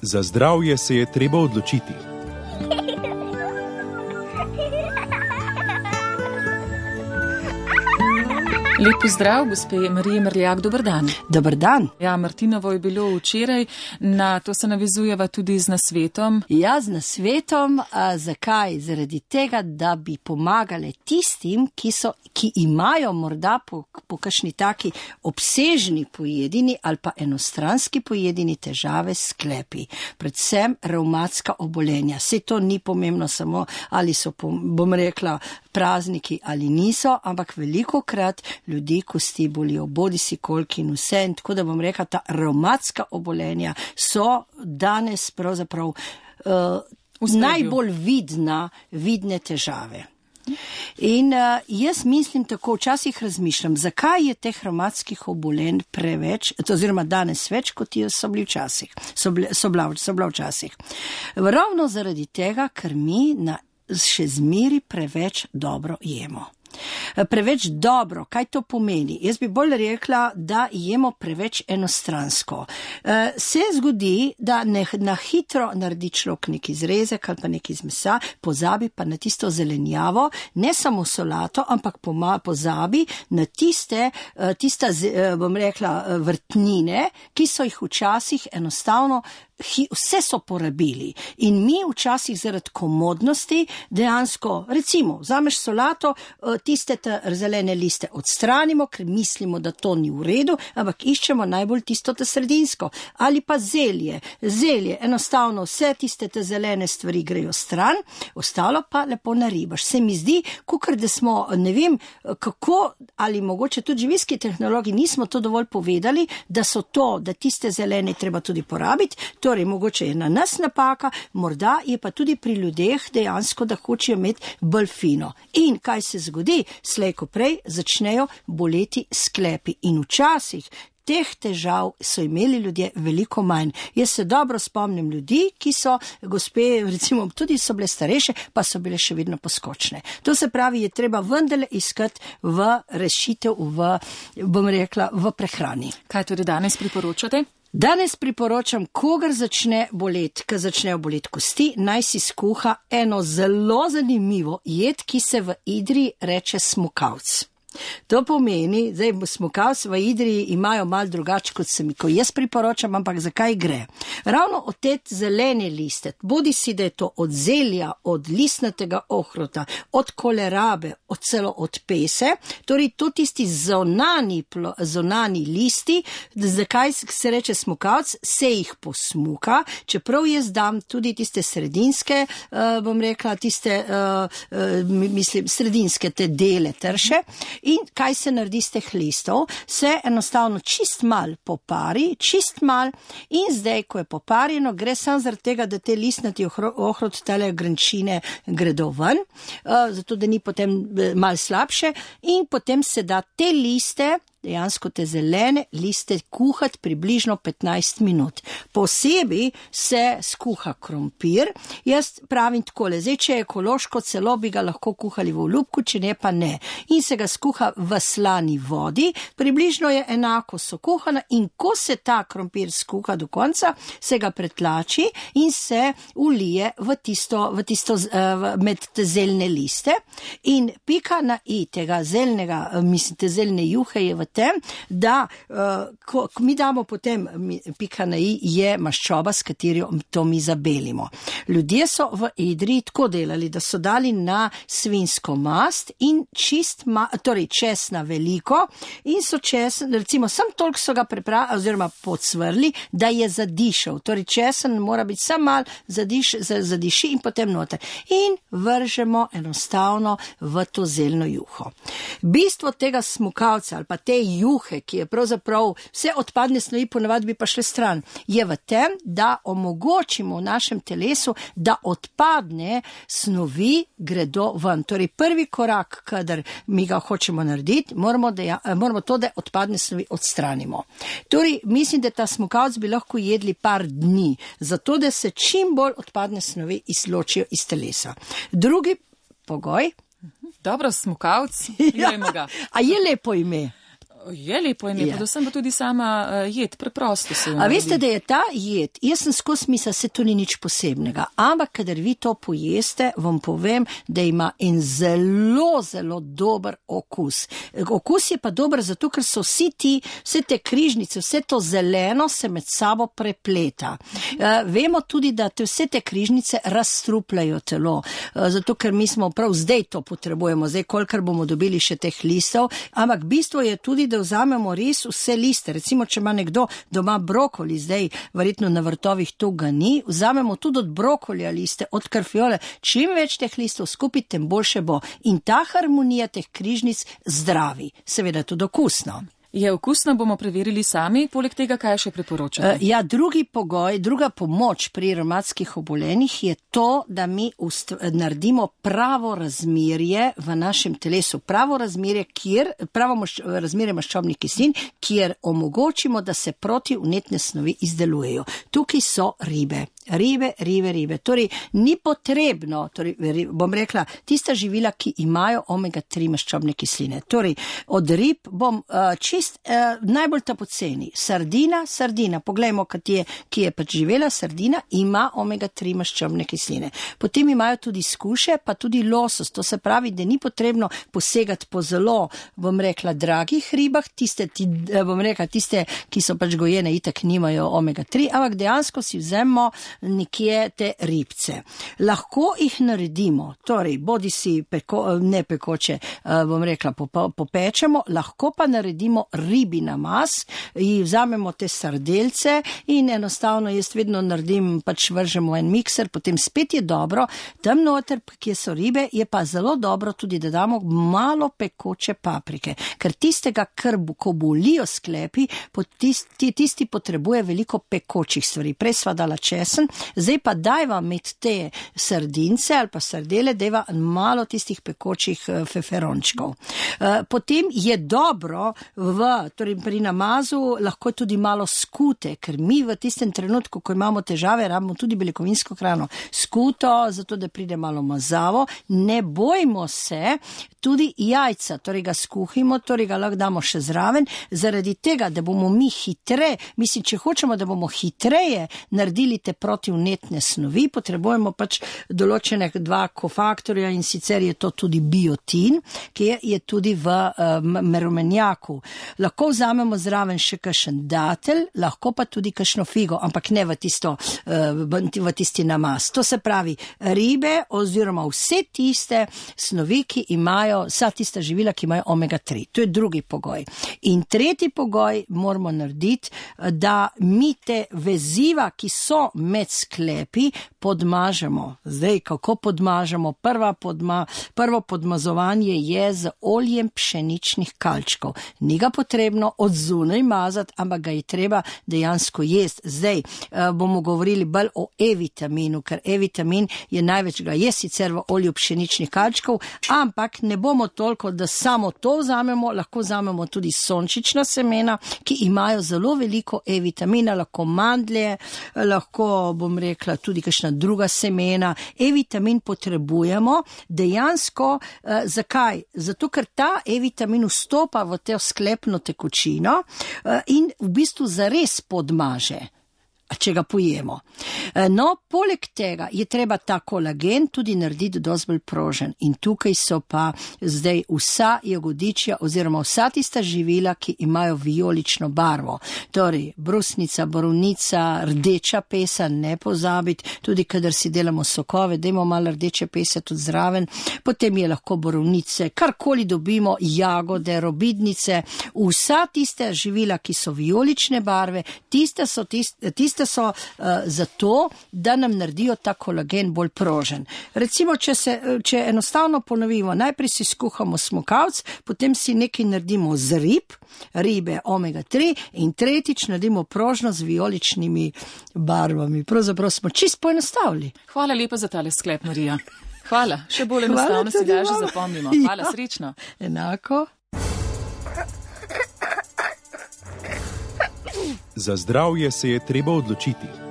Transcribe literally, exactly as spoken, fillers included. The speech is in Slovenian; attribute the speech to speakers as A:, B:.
A: Za zdravje se je treba odločiti.
B: Lep pozdrav, gospe Marije Mrljak, dober dan.
C: Dober dan.
B: Ja, Martinovo je bilo včeraj, na to se navezujeva tudi z nasvetom.
C: Ja, z nasvetom, a zakaj? Zaradi tega, da bi pomagali tistim, ki, so, ki imajo morda po, po kakšni taki obsežni pojedini ali pa enostranski pojedini težave s sklepi. Predvsem revmatska obolenja. Saj to ni pomembno samo, ali so, bom rekla, prazniki ali niso, ampak velikokrat ljudi kosti bolijo, bodi si kolki in vse. In tako da bom rekla, ta revmatska obolenja so danes pravzaprav uh, najbolj vidna, vidne težave. In uh, jaz mislim tako, včasih razmišljam, zakaj je teh revmatskih obolenj preveč, oziroma danes več, kot so bili včasih, so, bile, so, bila, so bila včasih. Ravno zaradi tega, ker mi na še zmeri preveč dobro jemo. Preveč dobro, kaj to pomeni? Jaz bi bolj rekla, da jemo preveč enostransko. Se zgodi, da ne, na hitro naredi človek neki zrezek ali pa neki iz mesa, pozabi pa na tisto zelenjavo, ne samo solato, ampak poma, pozabi na tiste, tista, bom rekla, vrtnine, ki so jih včasih enostavno vse so porabili. In mi včasih zaradi komodnosti dejansko, recimo, vzameš solato, tiste zelene liste odstranimo, ker mislimo, da to ni v redu, ampak iščemo najbolj tisto te sredinsko. Ali pa zelje. Zelje, enostavno vse tiste te zelene stvari grejo stran, ostalo pa lepo naribaš. Se mi zdi, kukor da smo, ne vem, kako, ali mogoče tudi živilski tehnologi nismo to dovolj povedali, da so to, da tiste zelene treba tudi porabiti. Torej, mogoče je na nas napaka, morda je pa tudi pri ljudeh dejansko, da hočejo imeti bolj fino. In kaj se zgodi? Slej ko prej začnejo boleti sklepi. In včasih teh težav so imeli ljudje veliko manj. Jaz se dobro spomnim ljudi, ki so, gospe, recimo, tudi so bile starejše, pa so bile še vedno poskočne. To se pravi, je treba vendarle iskati v rešitev, v, bom rekla, v prehrani.
B: Kaj tudi danes priporočate?
C: Danes priporočam, kogar začne boleti, ko začnejo boleti kosti, naj si skuha eno zelo zanimivo jed, ki se v Idriji reče smukavc. To pomeni, zdaj smukavc v Idriji imajo malo drugače, kot se mi, ko jaz priporočam, ampak zakaj gre? Ravno od te zelene liste, bodi si, da je to od zelja, od listnatega ohrota, od kolerabe, od celo od pese, torej to tisti zonani, zonani listi, zakaj se reče smukavc, se jih posmuka, čeprav jaz dam tudi tiste sredinske, uh, bom rekla, tiste, uh, uh, mislim, sredinske te dele trše. In kaj se naredi z teh listov? Se enostavno čist mal popari, čist mal in zdaj, ko je poparjeno, gre samo zaradi tega, da te listnati ohrot, tele grenčine gredo ven, uh, zato da ni potem mal slabše in potem se da te liste, dejansko te zelene liste kuhati približno petnajst minut. Posebej se skuha krompir. Jaz pravim takole, zdaj, če je ekološko, celo bi ga lahko kuhali v olupku, če ne pa ne. In se ga skuha v slani vodi, približno je enako so kuhana in ko se ta krompir skuha do konca, se ga pretlači in se ulije v tisto, v tisto v, med te zelne liste. In pika na i tega zelnega, mislim, te zelne juhe je v tem, da uh, ko, ko mi damo potem mi, pika na i je maščoba, s katero to mi zabelimo. Ljudje so v Idriji tako delali, da so dali na svinjsko mast in čist, ma, torej česna veliko in so česen, recimo sam toliko so ga prepravili oziroma podsvrli, da je zadišal. Torej česen mora biti sam mal zadiš, zadiši in potem noter. In vržemo enostavno v to zelno juho. Bistvo tega smukavca ali pa te juhe, ki je pravzaprav vse odpadne snovi ponavadi bi pa šle stran, je v tem, da omogočimo v našem telesu, da odpadne snovi gredo ven. Torej prvi korak, kadar mi ga hočemo narediti, moramo, da, moramo to, da odpadne snovi odstranimo. Torej mislim, da ta smukavc bi lahko jedli par dni, zato da se čim bolj odpadne snovi izločijo iz telesa. Drugi pogoj.
B: Dobro, smukavc, jemo ga.
C: A je lepo ime?
B: Je lepo ime,
C: Ja.
B: predvsem pa tudi sama uh, jed, preprosto se jo
C: A
B: naredi.
C: veste, da je ta jed, jaz sem skozi misel, se to ni nič posebnega, ampak kadar vi to pojeste, vam povem, da ima en zelo, zelo dober okus. Okus je pa dober zato, ker so vsi ti, vse te križnice, vse to zeleno se med sabo prepleta. Uh, vemo tudi, da te vse te križnice razstrupljajo telo, uh, zato ker mi smo prav zdaj to potrebujemo, zdaj kolikor bomo dobili še teh listov, ampak bistvo je tudi, da vzamemo res vse liste. Recimo, če ima nekdo doma brokoli, zdaj verjetno na vrtovih to ga ni, vzamemo tudi od brokolija liste, od karfiole, čim več teh listov skupaj, tem boljše bo. In ta harmonija teh križnic zdravi, seveda tudi okusno.
B: Je okusno, bomo preverili sami, poleg tega, kaj še priporočate?
C: Uh, ja, drugi pogoj, druga pomoč pri revmatskih obolenjih je to, da mi ust- naredimo pravo razmerje v našem telesu. Pravo razmerje, kjer, pravo maš, razmerje maščobnih kislin, kjer omogočimo, da se protivnetne snovi izdelujejo. Tukaj so ribe. Ribe, ribe, ribe. Torej, ni potrebno, torej, bom rekla, tista živila, ki imajo omega tri maščobne kisline. Torej, od rib bom uh, čist uh, najbolj ta poceni. Sardina, sardina, poglejmo, ki je, ki je pač živela, sardina ima omega tri maščobne kisline. Potem imajo tudi skuše, pa tudi losos. To se pravi, da ni potrebno posegati po zelo, bom rekla, dragih ribah, tiste, ti, bom rekla, tiste, ki so pač gojene, itak nimajo omega tri, ampak dejansko si vzemmo nekje te ribce. Lahko jih naredimo, torej bodi si peko, ne pekoče, bom rekla, popečemo, lahko pa naredimo ribi namaz, in vzamemo te sardelce in enostavno jaz vedno naredim, pač vržemo en mikser, potem spet je dobro, tam noter, kje so ribe, je pa zelo dobro tudi, da damo malo pekoče paprike, ker tistega, kar ko bolijo sklepi, tisti, tisti potrebuje veliko pekočih stvari. Prej sva dala česen, zdaj pa dajva med te sardince ali pa sardele, dajva malo tistih pekočih feferončkov. Potem je dobro v, torej pri namazu lahko tudi malo skute, ker mi v tistem trenutku, ko imamo težave, rabimo tudi beljakovinsko hrano. Skuto, zato da pride malo mazavo, ne bojmo se, tudi jajca, torej ga skuhimo, torej ga lahko damo še zraven, zaradi tega, da bomo mi hitre, mislim, če hočemo, da bomo hitreje naredili te protivnetne snovi, potrebujemo pač določene dva kofaktorja in sicer je to tudi biotin, ki je, je tudi v uh, merumenjaku. Lahko vzamemo zraven še kakšen datel, lahko pa tudi kakšno figo, ampak ne v, tisto, uh, v tisti namaz. To se pravi ribe oziroma vse tiste snovi, ki imajo, vsa tista živila, ki imajo omega tri. To je drugi pogoj. In tretji pogoj moramo narediti, da mi te veziva, ki so med sklepi, podmažemo. Zdaj, kako podmažemo? Prva podma, prvo podmazovanje je z oljem pšeničnih kalčkov. Ni ga potrebno od zunaj mazati, ampak ga je treba dejansko jesti. Zdaj bomo govorili bolj o E-vitaminu, ker E-vitamin je največ, ga je sicer v olju pšeničnih kalčkov, ampak ne bomo toliko, da samo to vzamemo, lahko vzamemo tudi sončična semena, ki imajo zelo veliko E-vitamina, lahko mandlje, lahko, bom rekla, tudi kakšna druga semena. E-vitamin potrebujemo dejansko, eh, zakaj? Zato, ker ta E-vitamin vstopa v to sklepno tekočino eh, in v bistvu zares podmaže, če ga pojemo. No, poleg tega je treba ta kolagen tudi narediti dosti bolj prožen. In tukaj so pa zdaj vsa jagodičja oziroma vsa tista živila, ki imajo vijolično barvo. Torej, brusnica, borovnica, rdeča pesa, ne pozabiti, tudi kadar si delamo sokove, dajmo malo rdeče pese tudi zraven. Potem je lahko borovnice, karkoli dobimo, jagode, robidnice, vsa tiste živila, ki so vijolične barve, tiste so tiste, tiste so uh, zato, da nam naredijo ta kolagen bolj prožen. Recimo, če, se, če enostavno ponovimo, najprej si skuhamo smokavc, potem si nekaj naredimo z rib, ribe omega tri in tretjič naredimo prožno z vijoličnimi barvami. Pravzaprav smo čisto poenostavili.
B: Hvala lepa za tale sklep, Marija. Hvala. Še bolj enostavno si ga že zapomnimo. Hvala, ja. Srečno.
C: Enako.
A: Za zdravje se je treba odločiti.